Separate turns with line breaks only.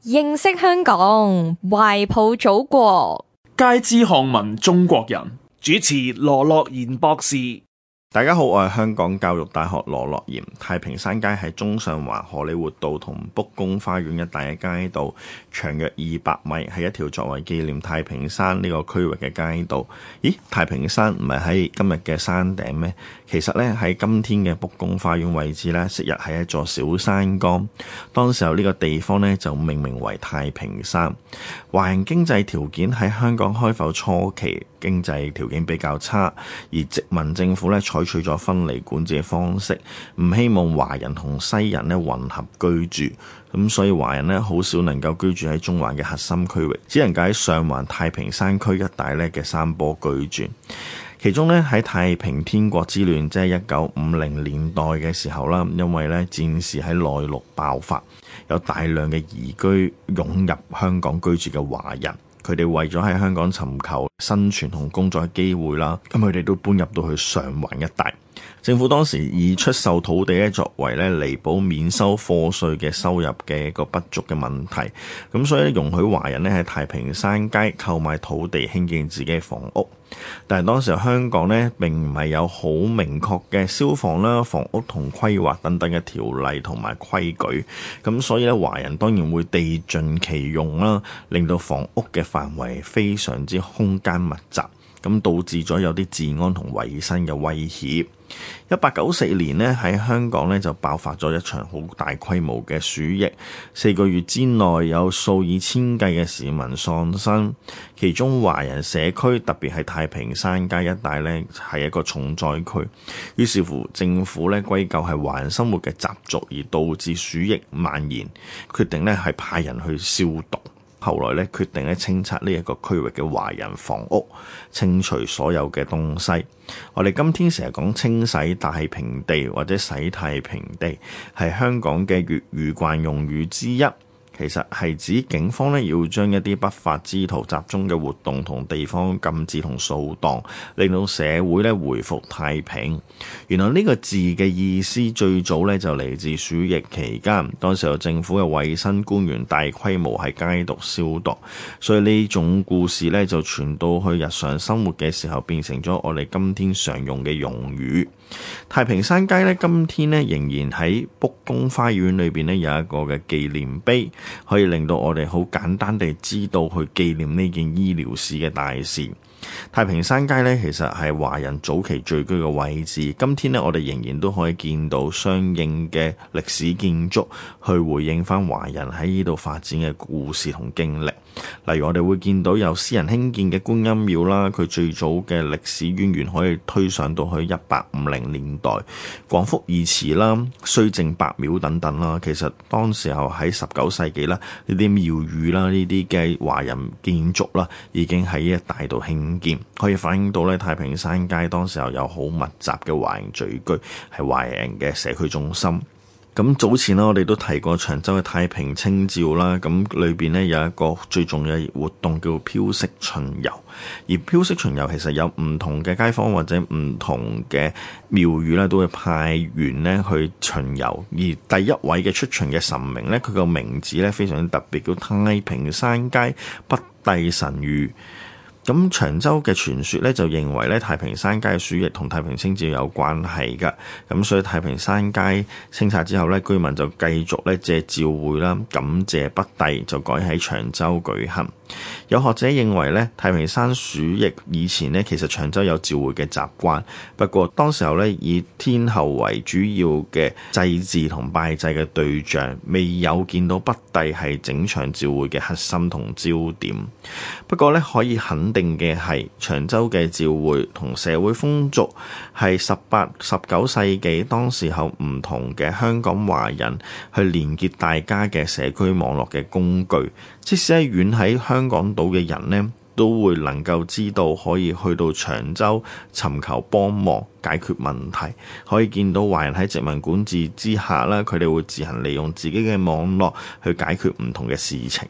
認識香港，懷抱祖國，
皆知漢文中國人。主持羅樂賢博士。
大家好，我係香港教育大學羅樂賢。太平山街係中上環荷里活道同卜公花園一帶嘅街道，長約200米，係一條作為紀念太平山呢個區域嘅街道。咦，太平山唔係喺今日嘅山頂咩？其實呢，喺今天嘅卜公花園位置呢，昔日係一座小山崗。當時候呢個地方呢，就命名為太平山。華人經濟條件喺香港開埠初期經濟條件比較差，而殖民政府呢，採取咗分離管治嘅方式，唔希望華人同西人呢混合居住，咁所以華人呢好少能夠居住喺中環嘅核心區域，只能夠喺上環太平山區一帶呢嘅山坡居住。其中呢，喺太平天國之亂，即係1950年代嘅時候啦，因為呢戰事喺內陸爆發，有大量嘅移居湧入香港居住嘅華人。佢哋為咗喺香港尋求生存同工作嘅機會啦，咁佢哋都搬入到去上環一帶。政府當時以出售土地咧作為咧彌補免收課稅嘅收入嘅一個不足嘅問題，咁所以容許華人咧喺太平山街購買土地興建自己嘅房屋。但係當時香港咧並唔係有好明確嘅消防啦、房屋同規劃等等嘅條例同埋規矩，咁所以咧華人當然會地盡其用啦，令到房屋嘅範圍非常之空間密集，咁導致咗有啲治安同衛生嘅威脅。1894年呢，喺香港呢就爆發咗一場好大規模嘅鼠疫，4個月之內有數以千計嘅市民喪生，其中華人社區特別係太平山街一帶呢係一個重災區。於是乎政府呢歸咎係華人生活嘅習俗而導致鼠疫蔓延，決定呢係派人去消毒。後來咧決定咧清拆呢一個區域嘅華人房屋，清除所有嘅東西。我哋今天成日講清洗太平地或者洗太平地，係香港嘅粵語慣用語之一。其實係指警方咧要將一啲不法之徒集中嘅活動同地方禁止同掃蕩，令到社會咧回復太平。原來呢個字嘅意思最早咧就嚟自鼠疫期間，當時有政府嘅衛生官員大規模喺街道消毒，所以呢種故事咧就傳到去日常生活嘅時候，變成咗我哋今天常用嘅用語。太平山街咧，今天咧仍然喺卜公花園裏邊咧有一個嘅紀念碑，可以令到我哋好簡單地知道去紀念呢件醫療史嘅大事。太平山街咧其實係華人早期聚居嘅位置，今天咧我哋仍然都可以見到相應嘅歷史建築去回應翻華人喺呢度發展嘅故事同經歷。例如我哋會見到有私人興建嘅觀音廟啦，佢最早嘅歷史淵源可以推上到去1850年代，廣福義祠啦、須正伯廟等等啦。其實當時候喺19世紀啦，呢啲廟宇啦、呢啲嘅華人建築啦，已經喺一帶度興建，可以反映到咧太平山街當時候有好密集嘅華人聚居，係華人嘅社區中心。咁早前我哋都提過長洲嘅太平清醮啦，咁裏邊呢有一個最重要嘅活動叫飄色巡遊，而飄色巡遊其實有唔同嘅街坊或者唔同嘅廟宇咧，都會派員呢去巡遊，而第一位嘅出巡嘅神明呢，佢個名字呢非常特別，叫太平山街北帝神諭。咁長洲嘅傳說咧就認為咧太平山街嘅鼠疫同太平清醮有關係㗎，咁所以太平山街清拆之後咧，居民就繼續咧借醮會啦，感謝北帝，就改喺長洲舉行。有學者認為咧，太平山鼠疫以前咧其實長洲有醮會嘅習慣，不過當時候咧以天后為主要嘅祭祀同拜祭嘅對象，未有見到北帝係整場醮會嘅核心同焦點。不過咧可以肯定嘅係，長洲嘅醮會同社會風俗係18、19世紀當時候唔同嘅香港華人去連結大家嘅社區網絡嘅工具。即使係遠喺香港島嘅人呢，都會能夠知道可以去到長洲尋求幫忙解決問題。可以見到華人喺殖民管治之下啦，佢哋會自行利用自己嘅網絡去解決唔同嘅事情。